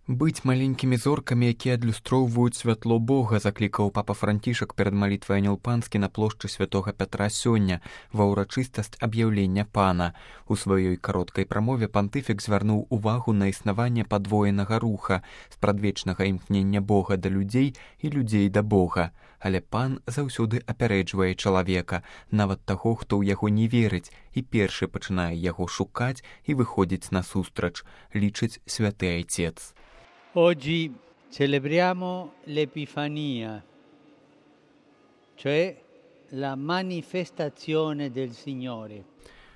Быць маленькімі зоркамі, якія адлюстроўваюць святло Бога, заклікаў папа Францішак перад малітвай Анёл Панскі на плошчы святога Пятра сёння ва ўрачыстасць аб'яўлення Пана. У сваёй кароткай прамове пантыфік звярнуў увагу на існаванне падвоенага руха, спрадвечнага імкнення Бога да людзей і людзей да Бога. Але Пан заўсёды апярэджвае чалавека, нават таго, хто ў яго не верыць, і першы пачынае яго шукаць і выходзіць насустрач, лічыць святы айцец. Oggi celebriamo l'Epifania, cioè la manifestazione del Signore.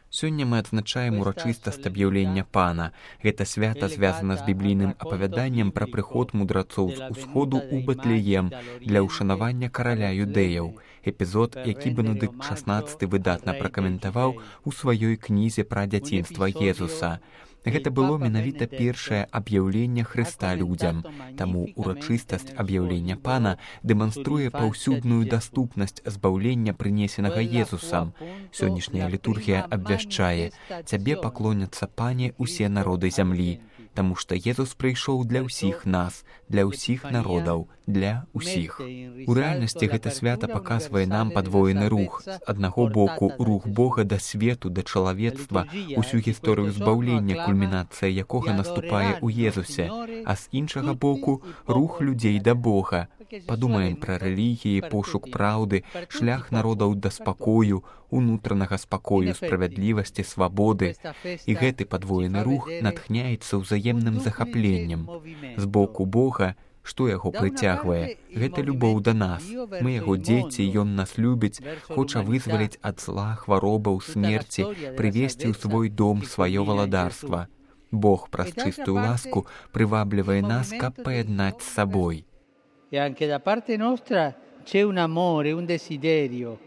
Сёння мы адзначаем урачыстасць аб'яўлення Пана. Гэта свята звязана з біблійным апавяданнем пра прыход мудрацоў з усходу ў Бэтлеем для ўшанавання караля юдэяў. Эпізод, які Бенедыкт XVI выдатна пракаментаваў у сваёй кнізе пра дзяцінства Езуса. Гэта было менавіта першае аб'яўленне Хрыста людзям, таму урачыстасць аб'яўлення Пана дэманструе паўсюдную даступнасць збаўлення, прынесенага Езусам. Сённяшняя літургія абвяшчае: «Цябе паклоняцца, Пане, усе народы зямлі», таму што Езус прыйшоў для ўсіх нас, для ўсіх народаў, для ўсіх. У рэальнасці гэта свята паказвае нам падвоены рух. З аднаго боку, рух Бога да свету, да чалавецтва, усю гісторыю збаўлення, кульмінацыя якога наступае ў Езусе, а з іншага боку, рух людзей да Бога. Падумаем пра рэлігіі, пошук праўды, шлях народаў да спакою, унутранага спакою, справядлівасці, свабоды. І гэты падвоены рух натхняецца ўзаемным захапленнем. З боку Бога, што яго прыцягвае? Гэта любоў да нас. Мы яго дзеці, ён нас любіць, хоча вызваліць ад зла, хваробаў, смерці, прывесці ў свой дом сваё валадарства. Бог праз чыстую ласку прываблівае нас, каб паяднаць з сабой. E anche da parte nostra c'è un amore, un desiderio.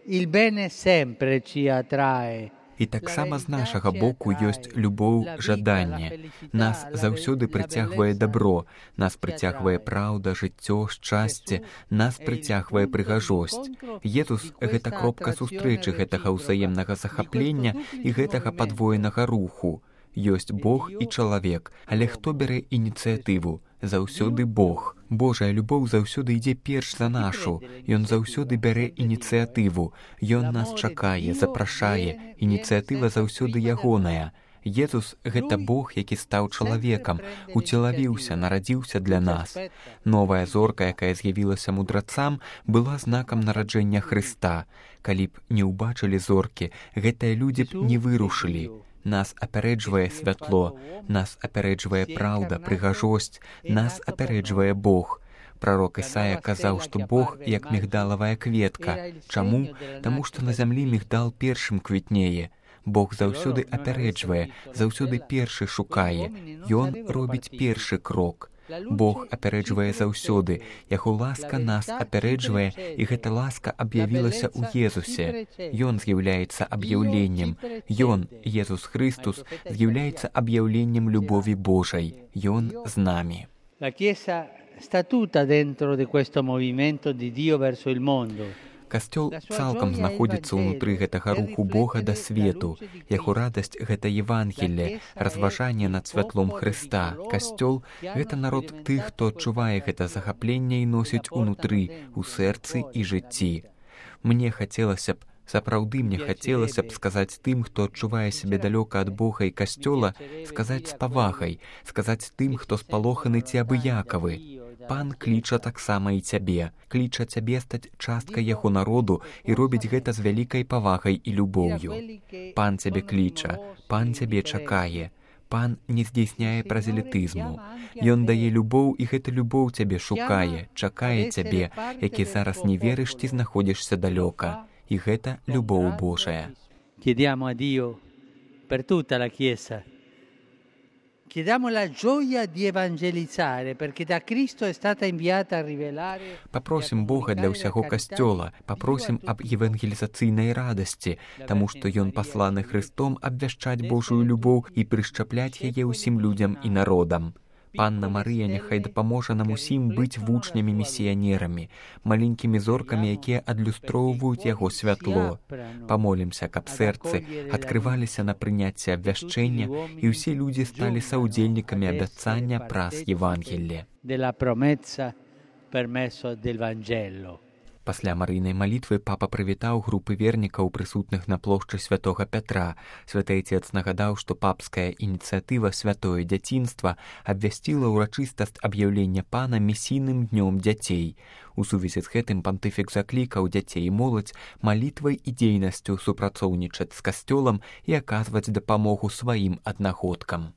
Il bene sempre ci attrae. І таксама з нашага боку ёсць любоў, жаданне. Нас заўсёды прыцягвае дабро, нас прыцягвае праўда, жыццё, шчасце, нас прыцягвае прыгажосць. Езус — гэта кропка сустрэчы гэтага ўзаемнага захаплення і гэтага падвоенага руху. Ёсць Бог і чалавек, але хто бярэ ініцыятыву? Заўсёды Бог. Божая любоў заўсёды ідзе перш за нашу. Ён заўсёды бярэ ініцыятыву. Ён нас чакае, запрашае. Ініцыятыва заўсёды ягоная. Езус — гэта Бог, які стаў чалавекам, уцелавіўся, нарадзіўся для нас. Новая зорка, якая з'явілася мудрацам, была знакам нараджэння Хрыста. Калі б не ўбачылі зоркі, гэтыя людзі б не вырушылі. Нас апярэджвае святло, нас апярэджвае праўда, прыгажосць, нас апярэджвае Бог. Прарок Ісая казаў, што Бог як мігдалавая кветка. Чаму? Таму што на зямлі мігдал першым квітнее. Бог заўсёды апярэджвае, заўсёды першы шукае. Ён робіць першы крок. Бог апярэджвае заўсёды, яго ласка нас апярэджвае, і гэта ласка аб'явілася ў Езусе. Ён з'яўляецца аб'яўленнем. Ён, Езус Христус, з'яўляецца аб'яўленнем любові Божай. Ён з намі. La Chiesa sta tutta dentro di questo movimento di Dio verso il mondo. Касцёл цалкам знаходзіцца ўнутры гэтага руху Бога да свету. Яго радасць — гэта Евангелле, разважанне над святлом Хрыста. Касцёл — гэта народ тых, хто адчувае гэта захапленне і носіць унутры, у сэрцы і жыцці. Мне хацелася б, сапраўды мне хацелася б сказаць тым, хто адчувае сябе далёка ад Бога і касцёла, сказаць з павагай, сказаць тым, хто спалоханы ці абыякавы. Пан кліча таксама і цябе, кліча цябе стаць часткай яго народу і робіць гэта з вялікай павагай і любоўю. Пан цябе кліча, Пан цябе чакае. Пан не здзейсняе празелітызму. Ён дае любоў, і гэта любоў цябе шукае, чакае цябе, які зараз не верыш ці знаходзішся далёка. І гэта любоў Божая. Chiediamo a Dio per tutta la Chiesa. Chiediamo la gioia di evangelizzare, perché da Cristo è stata inviata a rivelare. Папросім Бога для ўсяго касцёла, папросім аб евангелізацыйнай радасці, таму што ён пасланы Хрыстом абвяшчаць Божую любоў і прышчапляць яе ўсім людзям і народам. Панна Марыя няхай дапаможа нам усім быць вучнямі-місіянерамі, маленькімі зоркамі, якія адлюстроўваюць яго святло. Памолімся, каб сэрцы адкрываліся на прыняцце абвяшчэння, і ўсе людзі сталі саўдзельнікамі абяцання праз Евангелле. Пасля марыйнай малітвы папа прывітаў групы вернікаў, прысутных на плошчы святога Пятра. Святы Отец нагадаў, што папская ініцыятыва «Святое дзяцінства» абвясціла ўрачыстасць аб'яўлення пана місійным днём дзяцей. У сувязі з гэтым пантыфік заклікаў дзяцей і моладзь малітвай і дзейнасцю супрацоўнічаць з касцёлам і аказваць дапамогу сваім аднагодкам.